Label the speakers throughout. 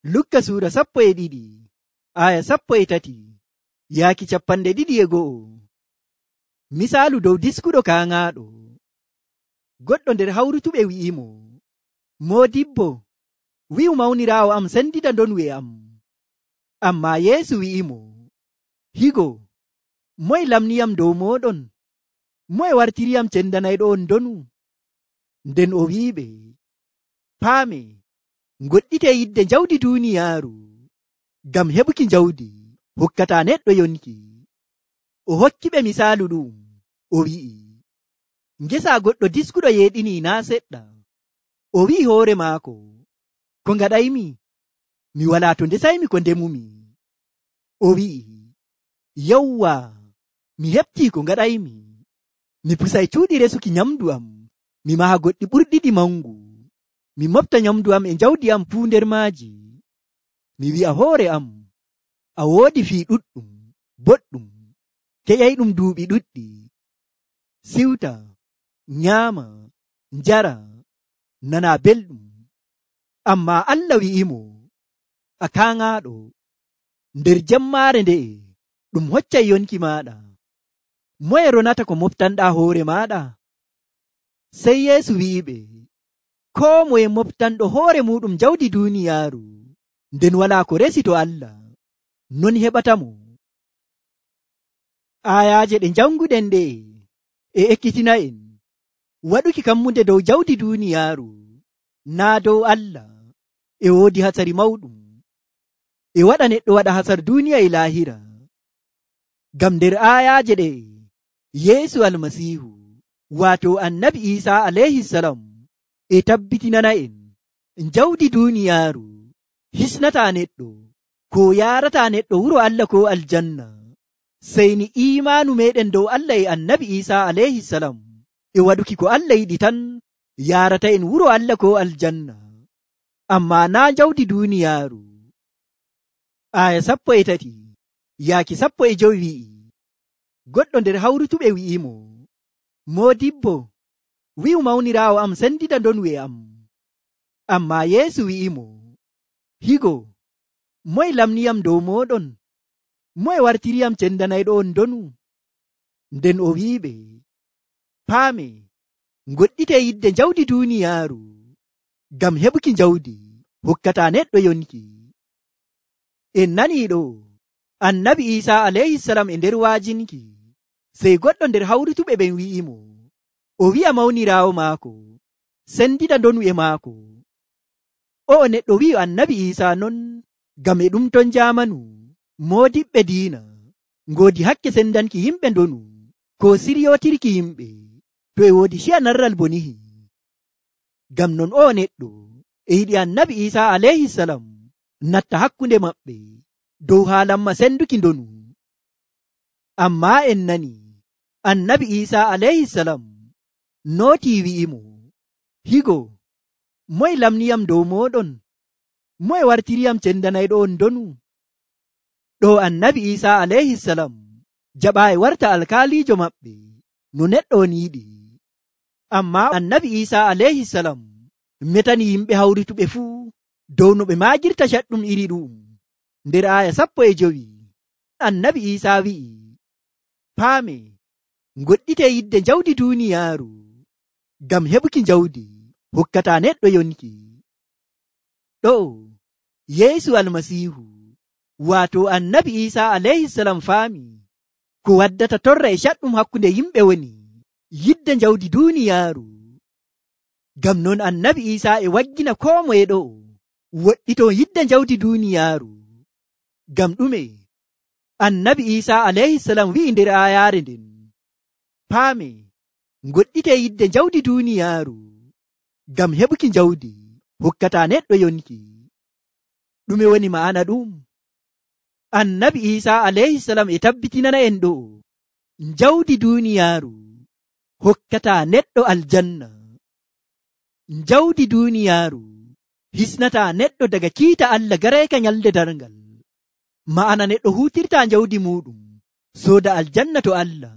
Speaker 1: Lukka suura 12 aya 13 yaaki 12. Misaalu dow diskuɗo kaaŋaaɗo. Goɗɗo nder hawrutuɓe wi'imo, Moodibbo, wi'u mawniraawo am sendita ndonu e am. Ammaa Yeesu wi'imo, higo, moye lamniyam dow mooɗon? Moye wartiriyam cendanayɗo on ndonu? Nden o wi'iɓe, paame, ngoɗɗitee yidde jawdi duuniyaaru, ngam heɓuki jawdi hokkataa neɗɗo yonki. O hokkiɓe misaalu ɗum, o wi'i, ngesa goɗɗo diskuɗo yeeɗinii naa seɗɗa. O wi'i hoore maako, ko ngaɗaymi? Mi walaa to ndesaymi ko ndemumi. O wi'i, yawwa, mi heɓtii ko ngaɗaymi. Mi pusay cuuɗi resuki nyamdu am, mi maha goɗɗi ɓurɗiɗi mangu. Mi mofta nyamdu am e jawdi am fuu nder maaji. Mi wi'a hoore am, a woodi fii ɗuɗɗum, boɗɗum, keƴayɗum duuɓi ɗuɗɗi. Siwta, nyaama, njara, nana belɗum. Ammaa Allah wi'imo, a kaaŋaaɗo, nder jemmaare nde'e ɗum hoccay yonki maaɗa. Moye ronata ko moftanɗaa hoore maaɗa? Sey Yeesu wi'iɓe, koo moye moftanɗo hoore muɗum jawdi duuniyaaru, nden walaa ko resi to Allah, non heɓatamo. Aayaaje ɗe janguɗen ɗe e ekkitina'en waɗuki kammunde dow jawdi duuniyaaru, naa dow Allah, e woodi hatsari mawɗum. E waɗa neɗɗo waɗa hasar duuniya e laahira. Ngam nder aayaaje ɗe Yeesu Almasiihu, waato Annabi Iisaa alayhisalam, e tabbitinana'en jawdi duuniyaaru hisnataa neɗɗo, ko yaarataa neɗɗo wuro Allah ko aljanna, sey ni iimaanu meɗen dow Allah e Annabi Iisaa alayhisalam e waɗuki ko Allah yiɗi tan yaarata en wuro Allah ko aljanna, ammaa naa jawdi duuniyaaru. Aya 13 yaaki 15 wi'i, goɗɗo nder hawrutuɓe wi'imo, Moodibbo, wi'u mawniraawo am sendita ndonu e am. Ammaa Yeesu wi'imo, higo, moye lamniyam dow mooɗon? Moye wartiriyam cendanayɗo on ndonu? Nden o wi'iɓe, paame, ngoɗɗitee yidde jawdi duuniyaaru, ngam heɓuki jawdi hokkataa neɗɗo yonki. En nanii ɗo Annabi Iisaa alayhisalam e nder waajinki, sey goɗɗo nder hawrutuɓe ɓen wi'imo, o wi'a mawniraawo maako sendita ndonu e maako. O'o neɗɗo wi'u Annabi Iisaa non ngam e ɗum ton jaamanu moodiɓɓe diina ngoodi hakke sendanki yimɓe ndonu ko siryotirki yimɓe to e woodi ciya narral bonihi. Ngam non o'o neɗɗo e yiɗi Annabi Iisaa alayhisalam natta hakkunde maɓɓe dow haalamma senduki ndonu. Ammaa en nani Annabi Iisaa alayhisalam nootii wi'imo, higo, moye lamniyam dow mooɗon? Moye wartiriyam cendanayɗo on ndonu? Ɗo Annabi Iisaa alayhisalam jaɓaayi warta alkaaliijo maɓɓe no neɗɗo on yiɗi. Ammaa Annabi Iisaa alayhisalam metani yimɓe hawrituɓe fuu dow no ɓe maajirta caɗɗum iri ɗum. Nder aya 15 Annabi Iisaa wi'i, paame, ngoɗɗitee yidde jawdi duuniyaaru, ngam heɓuki jawdi hokkataa neɗɗo yonki. Ɗo Yeesu Almasiihu, waato Annabi Iisaa alayhisalam faami ko waddata torra e caɗɗum hakkunde yimɓe woni yidde jawdi duuniyaaru. Ngam non Annabi Iisaa e waggina koo moye ɗo woɗɗito yidde jawdi duuniyaaru. Ngam ɗume? Annabi Iisaa alayhisalam wi'i nder aayaare nden, paame, ngoɗɗitee yidde jawdi duuniyaaru, ngam heɓuki jawdi hokkataa neɗɗo yonki. Ɗume woni ma'ana ɗum? Annabi Iisaa alayhisalam e tabbitinana en ɗo jawdi duuniyaaru hokkataa neɗɗo aljanna. Jawdi duuniyaaru hisnataa neɗɗo daga kiita Allah garayka nyalde darngal. Ma'ana neɗɗo huutirtaa jawdi muɗum sooda aljanna to Allah.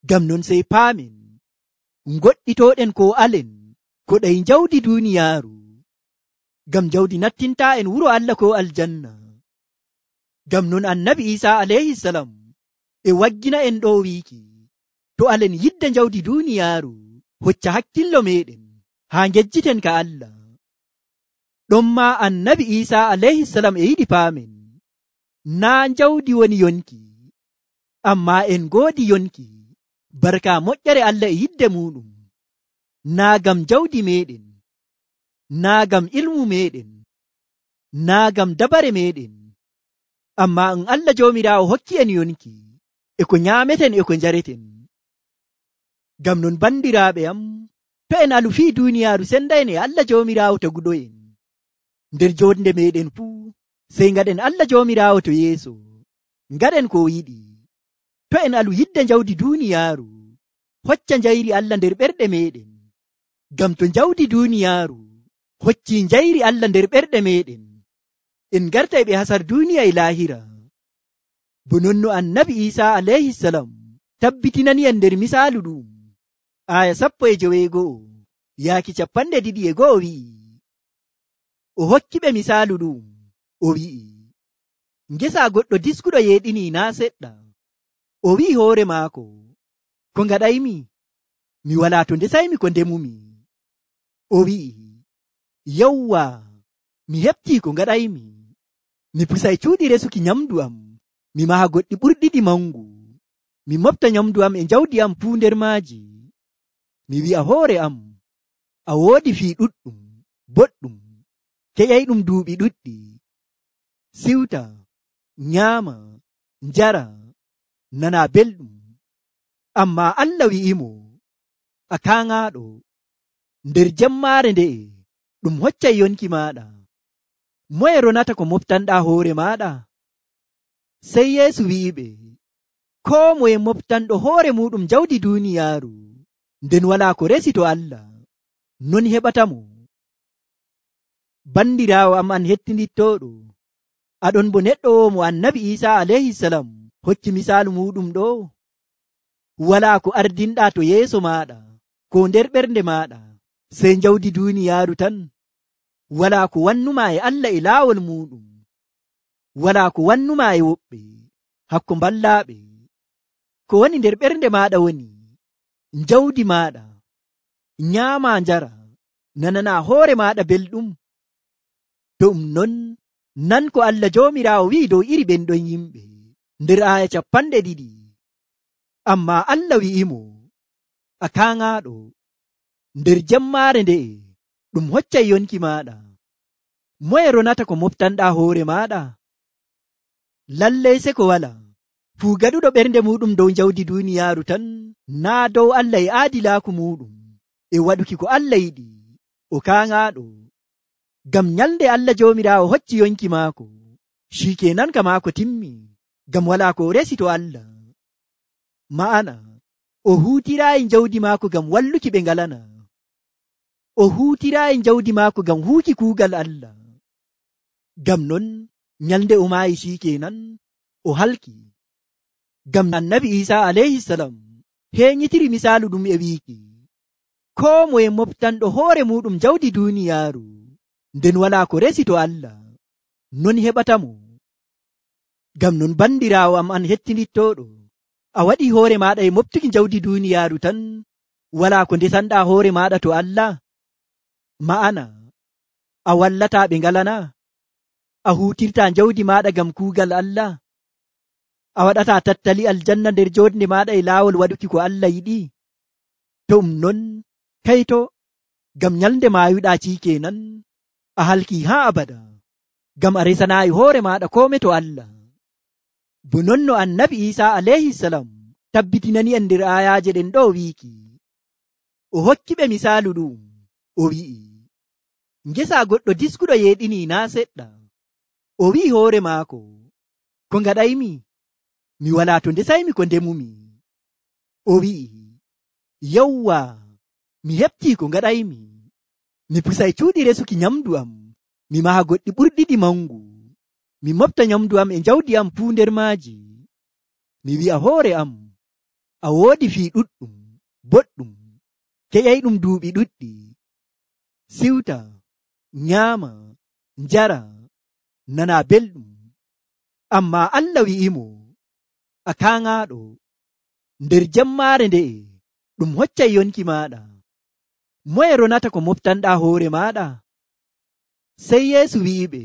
Speaker 1: Ngam non sey paamen ngoɗɗitooɗen ko alen ko ɗay jawdi duuniyaaru. ngam jawdi nattintaa en wuro Allah ko aljanna. Ngam non annabi Isaa alayhi salam e waggina en ɗo wiiki, to alen yidda jawdi duuniyaaru, hocca hakkillo meɗen haa ngejjiten ka Allah. ɗon ma annabi Isaa alayhi salam e yiɗi paamen, naa jawdi woni yonki, amma en goodi yonki barka moƴƴere Allah e yidde muɗum, naa gam jawdi meɗen, naa gam ilmu meɗen, naa gam dabare meɗen, amma Allah joomiraawo hokki en yonki e ko nyaameten e ko njareten. Gam non bandiraaɓe am, to en alu fii duuniyaaru sendaen e Allah joomiraawo taguɗo en, nder jonde meɗen fuu sey ngaɗen Allah joomiraawo to yeeso, ngaɗen ko yiɗi. To en alu yidde jawdi duuniyaaru, hocca njayri Allah nder ɓerɗe meɗen, gam to jawdi duuniyaaru hocci njayri Allah nder ɓerɗe meɗen, en garta e ɓe hasar duuniya e laahira. Bo non no annabi Isaa alayhi salam tabbitinani en nder misaalu ɗum, aya 19 yaaki 21 wi'i, o hokki ɓe misaalu ɗum, o wi'i, ngesa goɗɗo diskuɗo yeeɗini naa seɗɗa. O wi'i hoore maako, ko ngaɗaymi? Mi walaa to ndesaymi ko ndemumi. O wi'i, yawwa, mi heɓtii ko ngaɗaymi. Mi pusay cuuɗi resuki nyamdu am, mi maha goɗɗi ɓurɗiɗi mangu, mi mofta nyamdu am e jawdi am fuu nder maaji. Mi wi'a hoore am, a woodi fii ɗuɗɗum boɗɗum, keƴay ɗum duuɓi ɗuɗɗi, siwta, nyaama, njara, nana belɗum. Amma Allah wi'imo, a kaŋaaɗo, nder jemmaare nde'e ɗum hoccay yonki maaɗa. Moye ronata ko moftanɗaa hoore maaɗa? Sey Yeesu wi'iɓe, koo moye moftanɗo hoore muɗum jawdi duuniyaaru, nden walaa ko resi to Allah, non heɓatamo. Bandiraawo am an hettinittooɗo, aɗon bo neɗɗo o mo annabi Isaa alayhi salam hokki misaalu muɗum ɗo. Walaa ko ardinɗaa to yeeso maaɗa ko nder ɓernde maaɗa sey jawdi duuniyaaru tan. Walaa ko wannuma e Allah e laawol muɗum, walaa ko wannuma e woɓɓe hakko mballaaɓe. Ko woni nder ɓernde maaɗa woni jawdi maaɗa, nyaama njara, nanana hoore maaɗa belɗum. Ɗum non nan ko Allah joomiraawo wi'i dow iri ɓen ɗon yimɓe nder aya 20. Amma Allah wi'imo, a kaŋaaɗo, nder jemmaare nde'e ɗum hoccay yonki maaɗa. Moye ronata ko moftanɗaa hoore maaɗa? Lallay se ko wala. Fuu gaɗuɗo ɓernde muɗum dow jawdi duuniyaaru tan, naa dow Allah e aadilaaku muɗum e waɗuki ko Allah yiɗi, o kaŋaaɗo. Gam nyalde Allah joomiraawo hocci yonki maako, shikenan ka maako timmi, gam walaa ko o resi to Allah. Ma'ana, o huutiraayi jawdi maako gam walluki ɓe ngalana. O huutiraayi jawdi maako gam huuki kuugal Allah. Gam non nyalde o maayi shikenan o halki. Gam annabi Isaa alayhi salam heeñitiri misaalu ɗum e wiiki, koo moye moftanɗo hoore muɗum jawdi duuniyaaru, nden walaa ko resi to Allah, non heɓatamo. Gam non bandiraawo am an hettinittooɗo, a waɗi hoore maaɗa e moftuki jawdi duuniyaaru tan, walaa ko ndesanɗaa hoore maaɗa to Allah? Ma'ana, a wallataa ɓe ngalana? A huutirtaa jawdi maaɗa gam kuugal Allah? A waɗataa tattali aljanna nder jonde maaɗa e laawol waɗuki ko Allah yiɗi? To ɗum non, kayto, gam nyalde maayuɗaa cikenan a halki haa abada, gam a resanaayi hoore maaɗa kome to Allah. Bo non no annabi Isaa alayhi salam tabbitinani en nder ayaaje ɗen ɗo wiiki, o hokki ɓe misaalu ɗum, o wi'i, ngesa goɗɗo diskuɗo yeeɗini naa seɗɗa. O wi'i hoore maako, ko ngaɗaymi? Mi walaa to ndesaymi ko ndemumi. O wi'i, yawwa, mi heɓtii ko ngaɗaymi. Mi pusay cuuɗi resuki nyamdu am, mi maha goɗɗi ɓurɗiɗi mangu, mi mofta nyamdu am e jawdi am fuu nder maaji. Mi wi'a hoore am, a woodi fii ɗuɗɗum boɗɗum, keƴay ɗum duuɓi ɗuɗɗi, siwta, nyaama, njara, nana belɗum. Ammaa Allah wi'imo, a kaŋaaɗo, nder jemmaare nde'e ɗum hoccay yonki maaɗa. Moye ronata ko moftanɗaa hoore maaɗa? Sey Yeesu wi'iɓe,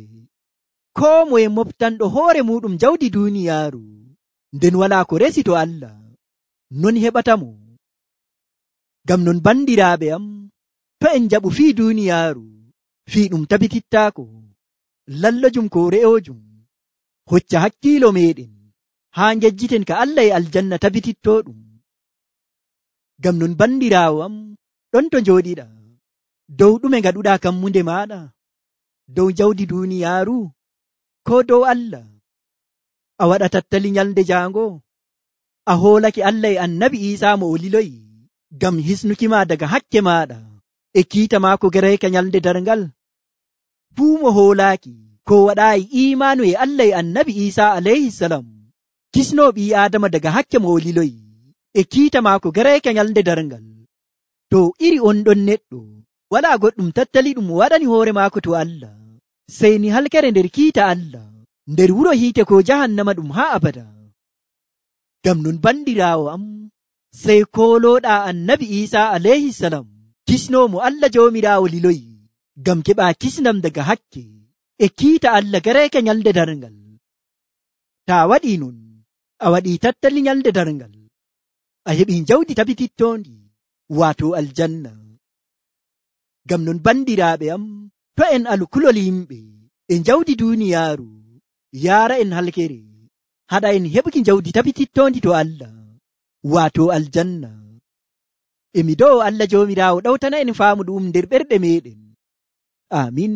Speaker 1: koo moye moftanɗo hoore muɗum jawdi duuniyaaru, nden walaa ko resi to Allah, non heɓatamo. Ngam non bandiraaɓe am, to en jaɓu fii duuniyaaru, fii ɗum tabitittaako. Lallojum ko re'oojum hocca hakkiilo meɗen haa njejjiten ka Allah e aljanna tabitittoɗum. Ngam non bandiraawo am, ɗon to njooɗiɗa, dow ɗume ngaɗuɗaa kammunde maaɗa? Dow jawdi duuniyaaru, ko dow Allah? A waɗa tattali nyalnde jaango? A hoolake Allah e annabi Iisaa mo o liloyi ngam hisnuki ma daga hakke maaɗa e kiita maako garayka nyalnde darngal? Fuu mo hoolaaki ko waɗaayi iimaanu e Allah e annabi Iisaa alayhisalam, kisnoo ɓii Aadama daga hakke mo o liloyi e kiita maako garayka nyalnde darngal. To iri on ɗon neɗɗo walaa goɗɗum tattali ɗum waɗani hoore maako to Allah, sey ni halkere nder kiita Allah, nder wuro hiite ko jahannama ɗum haa abada. Ngam non bandiraawo am, sey koolooɗaa annabi Iisaa alayhisalam, kisnoomo Allah Joomiraawo liloyi ngam keɓaa kisnam daga hakke e kiita Allah garayka nyalnde darngal. Taa waɗii non, a waɗii tattali nyalnde darngal, a heɓii jawdi tabitittoondi, waato aljanna. Ngam non bandiraaɓe am, to en alu kulol yimɓe e jawdi duuniyaaru yaara en halkere, haɗa en heɓuki jawdi tabitittondi to Allah, waato aljanna. Emi do'o Allah Joomiraawo ɗawtana en faamu ɗum nder ɓerɗe meɗen. Amin.